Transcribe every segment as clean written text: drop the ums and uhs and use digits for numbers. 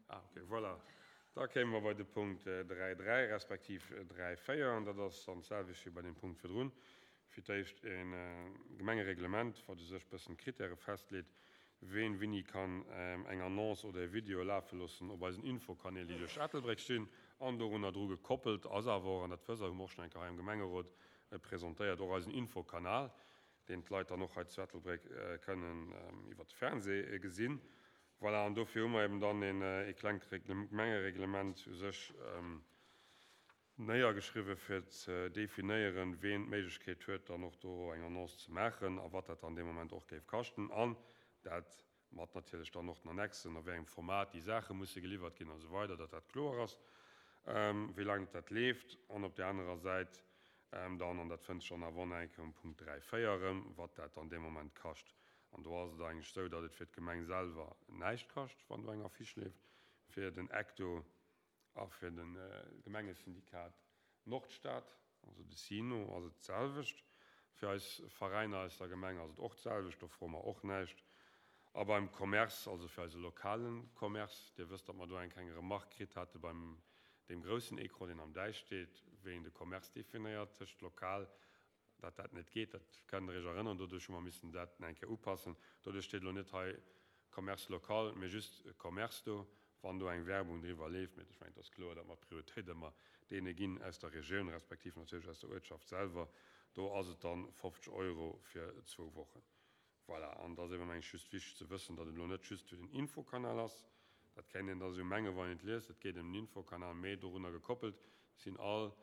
Ah, okay, voilà. Da kéime mer bei de Punkt 3.3 respektiv 3.4, an dat ass dann d'selwecht wéi bei deem Punkt virdrun. Fir d'éischt e Gemengereglement, wat u sech e bëssen d'Kritäre festleet, ween wéini kann eng Annonce oder e Video lafe loossen op eisen Infokanäl, déi duerch Ettelbréck stinn. An dorunner dru gekoppelt ass awer och, an dat wësst Der, hu mer och schonn eng Kéier hei am Gemengerot presentéiert, och eisen Infokanal, deen d'Leit dann och hei zu Ettelbréck kënnen iwwert de Fernseh gesinn. Voilà, an dofir hu mer eben dann ee klengt Gemengereglement u sech néiergeschriwwen, fir ze definéieren, ween d'Méiglechkeet huet, dann och do eng Annonce ze maachen a wat dat dann dee Moment och géif kaschten. An dat mat natierlech dann och den Annexen, a wéi engem Format déi Saache musse geliwwert ginn a sou weider, datt dat kloer ass, wéi laang dat leeft. An op där anerer Säit dann, an dat fënnt sech dann awer och nach eng Kéier um Punkt 3, 4 erëm, wat dat dann dee Moment kascht. An do ass et eigentlech esou, datt et fir d'Gemeng selwer näischt kascht, wann do eng Affiche leeft. Fir den Ecto a fir de Gemengesyndikat Nordstad, also de SINO, ass et d'selwecht. Fir eis Veräiner aus der Gemeng ass et och d'selwecht, do froe mer och näischt. A beim Commerce, also fir eise lokale Commerce, Dir wësst, datt mer do eng kleng Remarque kritt hate beim deem groussen Ecran, deen am Däich steet, wéi een de Commerce definéiert tëscht lokal datt dat net geet, dat kennt Der Iech erënneren. Doduerch hu mer missen dat eng Kéier upassen. Doduerch steet elo net hei Commerce local, mee just Commerce do, wann do eng Werbung driwwer leeft. Mee ech mengen, et ass kloer, datt mer d'Prioritéit ëmmer deene ginn aus der Regioun, respektiv natierlech aus der Uertschaft selwer. Do ass et dann 50 Euro fir zwou Wochen. Voilà, an et ass eben, meng ech, just wichteg ze wëssen, datt et elo net just fir den Infokanal ass. Dat kéint een da sou mengen, wann een et liest, et geet ëm den Infokanal, mee dorunner gekoppelt sinn all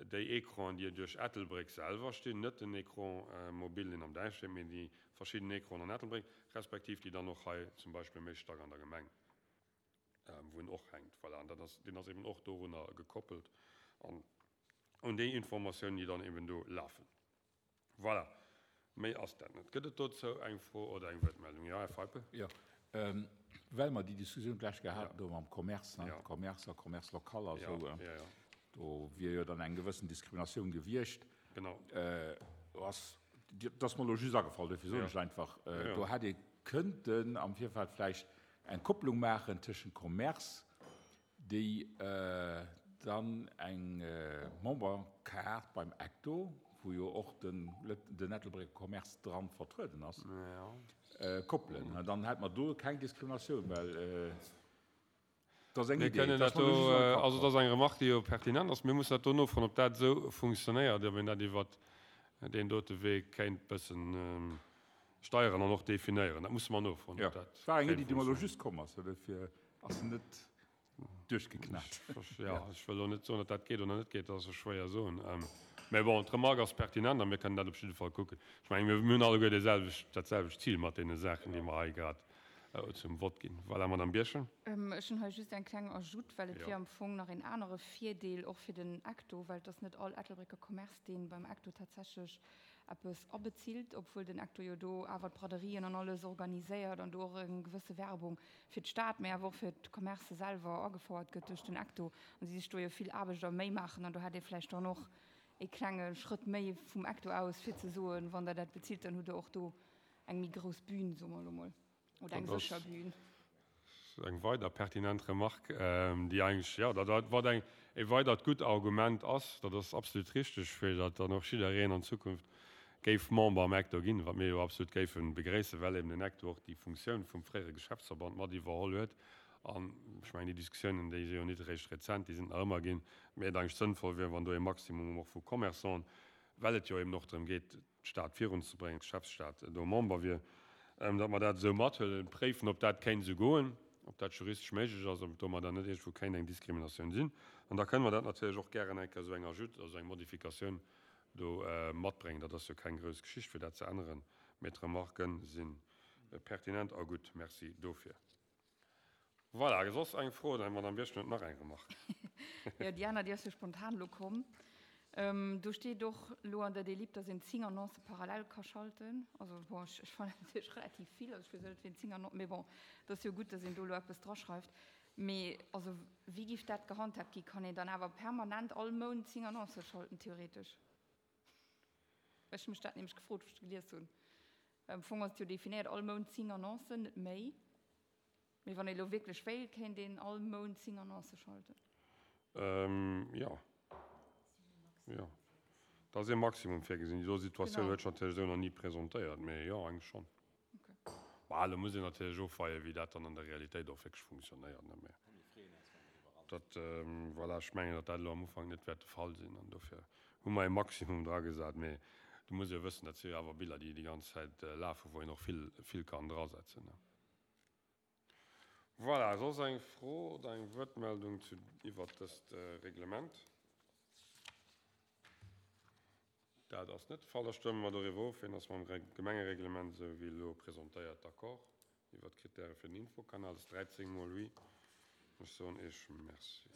Déi Ecranen, déi duerch Ettelbréck selwer stinn, net den Écran mobile, deen am Däich steet, mee déi verschidden Ecranen an Ettelbréck, respektiv déi dann och hei zum Beispill méi stack an der Gemeng, wou en och hänkt. Voilà, an dat ass, deen ass eben och dorunner gekoppelt an un déi Informatiounen, déi dann eben do lafen. Voilà, méi ass dat net. Gëtt et dozou eng Fro oder eng Wuertmeldung? Jo, Här Feipel. Jo, well mer déi Diskussioun d'lescht Kéier haten do mam Commerce, ne, Commerce a Commerce local a sou, do wier jo dann eng gewëssen Diskriminatioun gewiescht. Genau. Do ass, dat ass mer elo just agefall, dofir soen ech et einfach, do hätt ee kënnten am Virfeld vläicht eng Kopplung maachen tëschent Commerce, déi dann eng Memberkaart beim Ecto, wou jo och den Ettelbrécker Commerce dran vertrueden ass, koppelen. Dann hätt mer do keng Diskriminatioun, well dat ass eng Idee. Also dat ass eng Remarque, déi jo pertinent ass. Mir mussen dat do nofroen, ob dat esou funktionéiert, ob een dat iwwert deen dote Wee kéint bëssen steieren an och definéieren. Dat musse mer nofroen, ob dat kéint funktionéieren. Dat war eng Iddi, déi mer elo just komm ass, dofir ass se net duerchgeknat. Jo, ech wëll elo net soen, datt dat geet oder net geet, dat ass jo schwéier soen. Mä bon, d'Remarque ass pertinent a mir kënnen dat op jidde Fall kucken. Ech mengen, mir hunn alleguer deeselwecht, dat selwecht Zil mat deene Saachen, déi mer hei grad zum Vott ginn. Voilà, Madame Birchen. Ech hunn hei just eng kleng Ajoute, well et wier am Fong nach een anere Virdeel och fir den Ecto, well et ass net all Ettelbrécker Commerce, dee beim Ecto tatsächlech eppes abezilt, obwuel den Ecto jo do awer d'Braderien an alles organiséiert an do och eng gewësse Werbung fir d'Stad, mä awer och fir d'Commercë selwer agefouert gëtt duerch den Ecto an si sech do jo vill Aarbecht a Méi maachen an do hätt ee vläicht dann och ee klenge Schrëtt méi vum Ecto aus fir ze soen, wann Der dat bezilt, dann hutt Der och do eng méi grouss Bühn, soe mer elo mol. Oder eng sécher Bühn. Eng weider pertinent Remarque, déi eigentlech, jo, dat wat eng e weidert gutt Argument ass, dat ass absolut richteg, fir datt dann och jiddereen an Zukunft géif Member am Ecto ginn, wat mir jo absolut géife begréissen, well eben den Ecto och déi Funktioun vum fréiere Geschäftsverband mat iwwerholl huet. An ech mengen, déi Diskussiounen, déi si jo nit eréischt rezent, déi sinn nach ëmmer ginn, mä et eigentlech sënnvoll wier, wann do e Maximum och vu Commerçanten, well et jo eben och drëm geet, d'Stad virunzebréngen, d'Geschäftsstad do Member wier, datt mer dat esou mathuelen, préifen, ob dat kéint esou goen, ob dat juristesch méiglech ass, ob domadder net iergendwou kéint eng Diskriminatioun sinn. An da kënne mer dat natierlech och gären eng Kéier esou eng Ajoute, also eng Modifikatioun do matbréngen. Dat ass jo keng grouss Geschicht, fir dat ze änneren, mee d'Remarquen si pertinent a gutt. Merci dofir. Voilà, soss eng Fro? Oder d'Madame Birchen huet nach eng Remarque. Jo, déi aner, déi ass jo spontan elo komm. Do steet och elo an der Délib, dass een 10 Annoncë parallel ka schalten. Also bon, ech, ech fannen dat natierlech relativ vill. Also ech weess net, wien 10 Annoncen, mee bon, et ass jo gutt, dass een do elo eppes draschreift. Mee also wéi géif dat gehandhaabt gi? Kann een dann awer permanent all Mount 10 Annoncë schalten, theoretesch? Ech hu mech dat nämlech gefrot, wou ech dat gelies hunn. Am Fong ass et jo definéiert, all Mount 10 Annoncen, net méi. Mee wann ee lo wierklech wéilt, kéint een all Mount 10 Annoncë schalten? Jo. Jo. Da ass ee Maximum virgesinn. Déi do Situatioun huet sech natierlech esou nach ni presentéiert, mee jo, eigentlech schonn. Bah, elo muss een natierlech ofweien, wéi dat dann an der Realitéit och wierklech funktionéiert, ne. Mee dat, voilà, ech mengen, datt dat elo am Ufank net wäert de Fall sinn an dofir hu mer ee Maximum dragesat. Mee do muss ee jo wëssen, dat si jo awer Biller, déi déi ganz Zäit lafen, wou een och vill, vill kann drasetzen, ne. Voilà, soss eng Fro oder eng Wuertmeldung zu, iwwert dëst Reglement? Dat ass net de Fall. Da stëmme mer doriwwer of. Wien ass mam Gemengereglement, esou wéi elo presentéiert, d'accord iwwert d'Kritäre fir den Infokanal? Dat ass 13 mol oui. Ech soen Iech Merci.